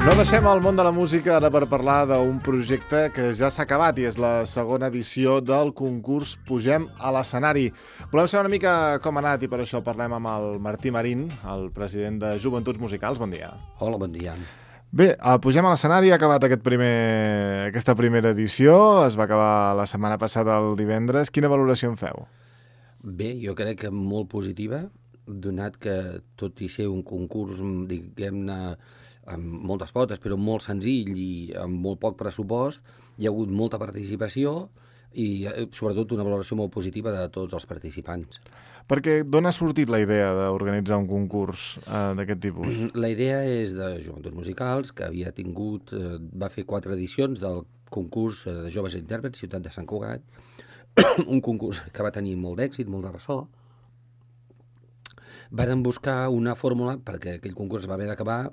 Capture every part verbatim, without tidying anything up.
No deixem el món de la música ara per parlar d'un projecte que ja s'ha acabat i és la segona edició del concurs Pugem a l'escenari. Volem saber una mica com ha anat i per això parlem amb el Martí Marín, el president de Joventuts Musicals. Bon dia. Hola, bon dia. Bé, el Pugem a l'escenari ha acabat aquest primer, aquesta primera edició, es va acabar la setmana passada el divendres. Quina valoració en feu? Bé, jo crec que molt positiva, donat que tot i ser un concurs, diguem-ne, amb moltes potes, però molt senzill i amb molt poc pressupost, hi ha hagut molta participació i sobretot una valoració molt positiva de tots els participants. Perquè d'on ha sortit la idea d'organitzar un concurs eh, d'aquest tipus? La idea és de Joventuts Musicals, que havia tingut, eh, va fer quatre edicions del concurs de joves intèrprets, Ciutat de Sant Cugat, un concurs que va tenir molt d'èxit, molt de ressò. Varen buscar una fórmula, perquè aquell concurs va haver d'acabar,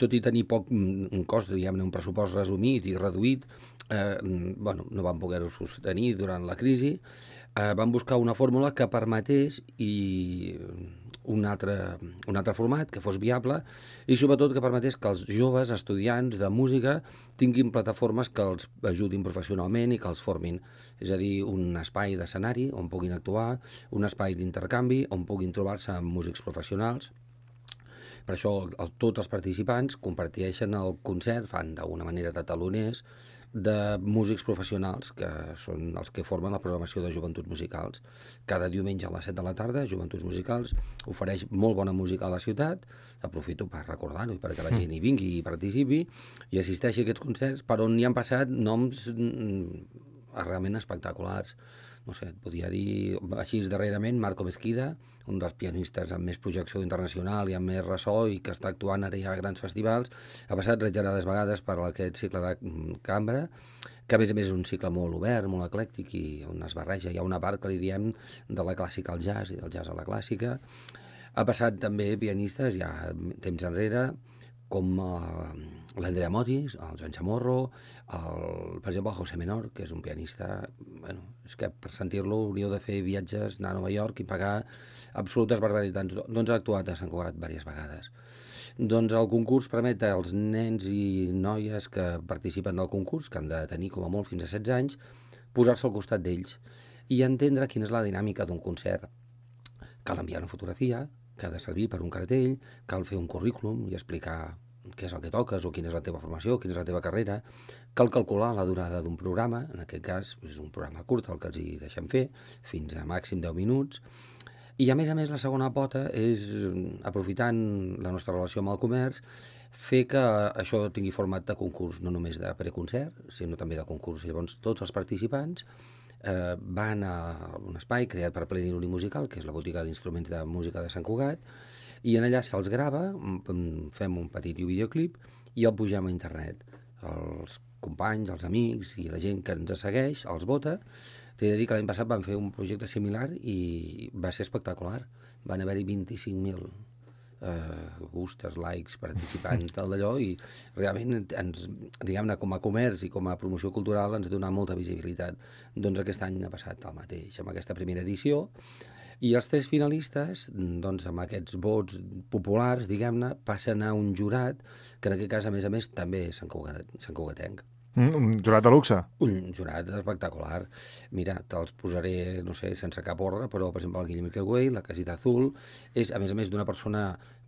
tot i tenir poc un cost, diguem-ne, un pressupost resumit i reduït, eh, bueno, no van poder-ho sostenir durant la crisi, eh, van buscar una fórmula que permetés i un altre, un altre format que fos viable i sobretot que permetés que els joves estudiants de música tinguin plataformes que els ajudin professionalment i que els formin. És a dir, un espai d'escenari on puguin actuar, un espai d'intercanvi on puguin trobar-se amb músics professionals. Per això el, tots els participants comparteixen el concert, fan d'alguna manera de taloners, de músics professionals, que són els que formen la programació de Joventuts Musicals. Cada diumenge a les set de la tarda, Joventuts Musicals ofereix molt bona música a la ciutat. Aprofito per recordar-ho i perquè la gent hi vingui i participi i assisteixi a aquests concerts per on hi han passat noms realment espectaculars. No sé, et podria dir, així darrerament, Marco Mesquida, un dels pianistes amb més projecció internacional i amb més ressò i que està actuant ara ja a grans festivals, ha passat reiterades vegades per aquest cicle de cambra, que a més a més és un cicle molt obert, molt eclèctic i on es barreja. Hi ha una part que li diem de la clàssica al jazz i del jazz a la clàssica. Ha passat també pianistes ja temps enrere, com uh, l'Andrea Motis, el Joan Chamorro, el, per exemple el José Menor, que és un pianista, bueno, és que per sentir-lo hauríeu de fer viatges, anar a Nova York i pagar absolutes barbaritats. Doncs ha actuat a Sant Cugat diverses vegades. Doncs el concurs permet als nens i noies que participen del concurs, que han de tenir com a molt fins a setze anys, posar-se al costat d'ells i entendre quina és la dinàmica d'un concert. Cal enviar una fotografia, que ha de servir per un cartell, cal fer un currículum i explicar què és el que toques o quina és la teva formació, quina és la teva carrera. Cal calcular la durada d'un programa, en aquest cas és un programa curt el que els hi deixem fer, fins a màxim deu minuts. I a més a més la segona pota és, aprofitant la nostra relació amb el comerç, fer que això tingui format de concurs, no només de preconcert, sinó també de concurs. Llavors tots els participants Eh, van a un espai creat per Pleniluni Musical, que és la botiga d'instruments de música de Sant Cugat, i en allà se'ls grava, fem un petit videoclip i el pugem a internet. Els companys, els amics i la gent que ens segueix els vota. T'he de dir que l'any passat van fer un projecte similar i va ser espectacular. Van haver-hi vint-i-cinc mil Uh, gustes, likes, participants tal d'allò i realment ens, diguem-ne, com a comerç i com a promoció cultural ens dona molta visibilitat. Doncs aquest any ha passat el mateix amb aquesta primera edició i els tres finalistes, doncs amb aquests vots populars, diguem-ne, passen a un jurat que en aquest cas, a més a més, també és Sant Cugat, Sant Cugatenc. Mm, un jurat de luxe. Un jurat espectacular. Mira, te'ls posaré, no sé, sense cap ordre, però, per exemple, el Guillem Milqueway, la Casita Azul, és, a més a més, d'una persona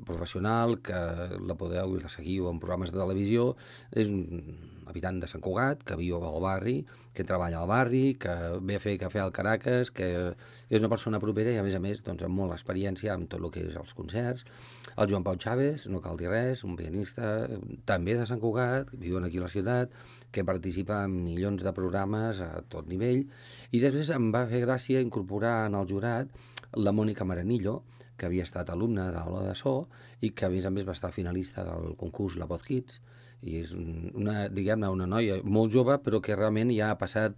professional que la podeu i la seguiu en programes de televisió. És un habitant de Sant Cugat, que viu al barri, que treballa al barri, que ve a fer cafè al Caracas, que és una persona propera i, a més a més, doncs, amb molta experiència amb tot el que és els concerts. El Joan Pau Chávez, no cal dir res, un pianista també de Sant Cugat, viuen aquí a la ciutat, que participa en milions de programes a tot nivell, i després em va fer gràcia incorporar en el jurat la Mònica Maranillo, que havia estat alumna d'Aula de So i que a més a més va estar finalista del concurs La Voz Kids, i és una, diguem-ne, una noia molt jove però que realment ja ha passat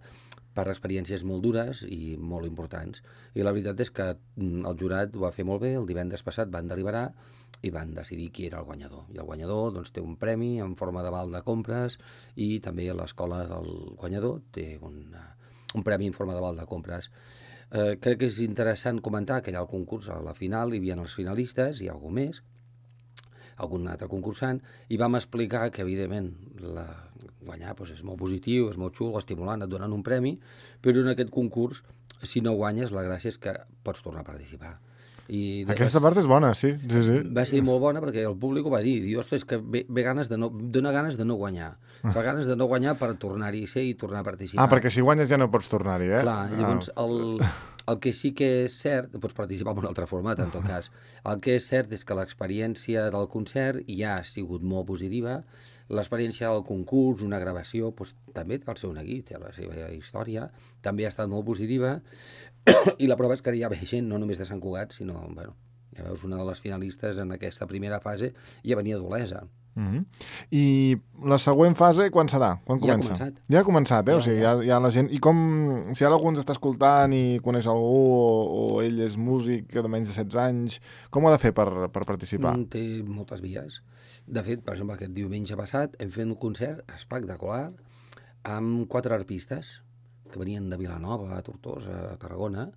per experiències molt dures i molt importants. I la veritat és que el jurat ho va fer molt bé. El divendres passat van deliberar i van decidir qui era el guanyador. I el guanyador doncs, té un premi en forma de val de compres i també l'escola del guanyador té un, un premi en forma de val de compres. Eh, crec que és interessant comentar que allà al concurs, a la final, hi havia els finalistes i algú més. algun altre concursant, i vam explicar que, evidentment, la... guanyar doncs, és molt positiu, és molt xulo, estimulant, et donen un premi, però en aquest concurs, si no guanyes, la gràcia és que pots tornar a participar. I Aquesta part és bona, sí, sí, sí. Va ser molt bona perquè el públic ho va dir. Diu, ostres, que ve, ve ganes de no, dona ganes de no guanyar. Fa ganes de no guanyar per tornar-hi a ser i tornar a participar. Ah, perquè si guanyes ja no pots tornar-hi, eh? Clar, llavors ah. el, el que sí que és cert, pots participar en un altre format, en tot cas, el que és cert és que l'experiència del concert ja ha sigut molt positiva, l'experiència del concurs, una gravació, doncs, també té el seu neguit, té la seva història, també ha estat molt positiva, i la prova és que hi ha gent, no només de Sant Cugat, sinó, bueno, ja veus, una de les finalistes en aquesta primera fase ja venia d'Olesa. Mm-hmm. I la següent fase, quan serà? Quan comença? Ja ha començat. Ja ha començat, eh? Ja, o sigui, ja, ja la gent... I com... Si ara algú ens està escoltant i coneix algú, o, o ell és músic de menys de setze anys, com ho ha de fer per, per participar? Mm, té moltes vies. De fet, per exemple, aquest diumenge passat hem fet un concert espectacular amb quatre arpistes que venien de Vilanova, a Tortosa, a Tarragona,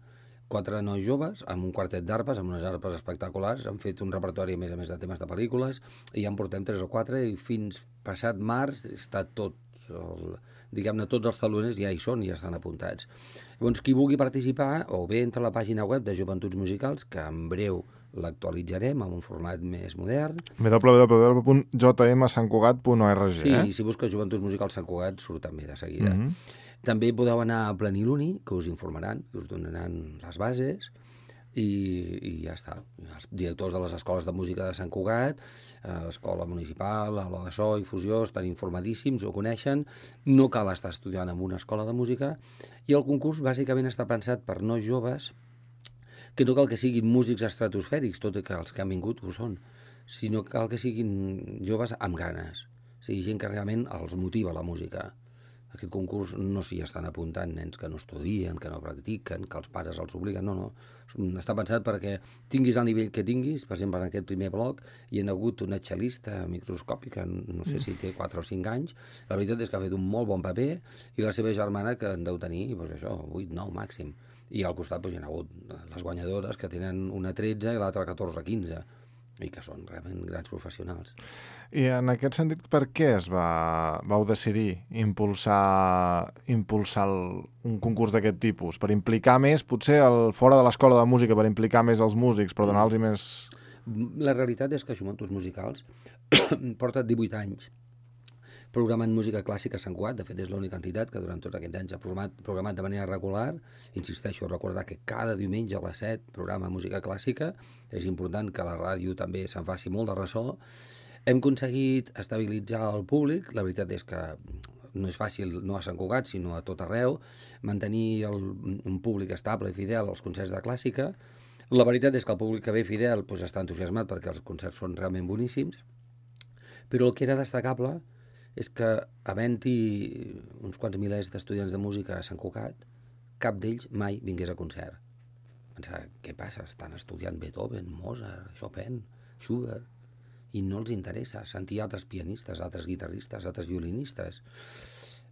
quatre nois joves, amb un quartet d'arpes, amb unes arpes espectaculars, han fet un repertori, a més a més, de temes de pel·lícules, i ja en portem tres o quatre, i fins passat març està tot, el, diguem-ne, tots els taloners ja hi són, ja estan apuntats. Llavors, qui vulgui participar, o bé entra a la pàgina web de Joventuts Musicals, que en breu l'actualitzarem en un format més modern. w w w punt j m sant cugat punt org, sí, eh? Sí, si busques Joventuts Musicals Sant Cugat surt també de seguida. Mm-hmm. També podeu anar a Pleniluni, que us informaran, que us donaran les bases, i, i ja està. Els directors de les escoles de música de Sant Cugat, eh, escola municipal, aula de so i fusió, estan informadíssims, ho coneixen, no cal estar estudiant en una escola de música, i el concurs bàsicament està pensat per nois joves, que no cal que siguin músics estratosfèrics, tot i que els que han vingut ho són, sinó que cal que siguin joves amb ganes, o sigui, gent que realment els motiva la música. Aquest concurs no s'hi estan apuntant nens que no estudien, que no practiquen, que els pares els obliguen, no, no. Està pensat perquè tinguis el nivell que tinguis, per exemple, en aquest primer bloc hi ha hagut una xelista microscòpica, no sé si té quatre o cinc anys, la veritat és que ha fet un molt bon paper, i la seva germana que en deu tenir, doncs això, vuit, nou màxim. I al costat doncs, hi ha hagut les guanyadores que tenen una tretze i l'altra catorze, quinze, i que són realment grans professionals. I en aquest sentit, per què es va, vau decidir impulsar, impulsar el, un concurs d'aquest tipus? Per implicar més, potser, el, fora de l'escola de música, per implicar més els músics, per donar-los més... La realitat és que Joventuts Musicals porta divuit anys programant música clàssica a Sant Cugat. De fet, és l'única entitat que durant tots aquests anys ha programat, programat de manera regular. Insisteixo, recordar que cada diumenge a les set programa música clàssica. És important que la ràdio també se'n faci molt de ressò. Hem aconseguit estabilitzar el públic. La veritat és que no és fàcil, no a Sant Cugat, sinó a tot arreu, mantenir el, un públic estable i fidel als concerts de clàssica. La veritat és que el públic que ve fidel doncs, està entusiasmat perquè els concerts són realment boníssims, però el que era destacable és que, havent-hi uns quants milers d'estudiants de música a Sant Cugat, cap d'ells mai vingués a concert. Pensar, què passa? Estan estudiant Beethoven, Mozart, Chopin, Schubert, i no els interessa sentir altres pianistes, altres guitarristes, altres violinistes.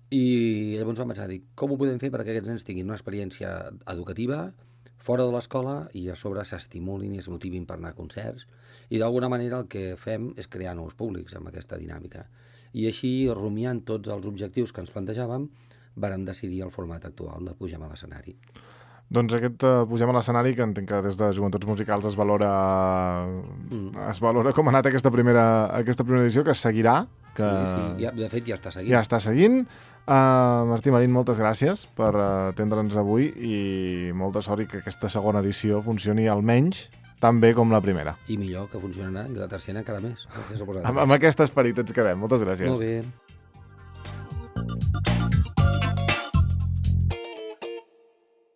I llavors vam pensar, dir, com ho podem fer perquè aquests nens tinguin una experiència educativa fora de l'escola i a sobre s'estimulin i es motivin per anar a concerts. I d'alguna manera el que fem és crear nous públics amb aquesta dinàmica. I així, rumiant tots els objectius que ens plantejàvem, vàrem decidir el format actual de Pugem a l'escenari. Doncs aquest uh, Pugem a l'escenari, que entenc que des de Joventuts Musicals es valora, mm. es valora com ha anat aquesta primera, aquesta primera edició, que es seguirà. Que... Sí, sí. Ja, de fet ja està seguint. Ja està seguint. Uh, Martí Marín, moltes gràcies per atendre'ns avui i molta sort i que aquesta segona edició funcioni almenys tan bé com la primera. I millor, que funcionarà, i la tercera encara més. Amb, amb aquest esperit ens quedem. Moltes gràcies. Molt bé.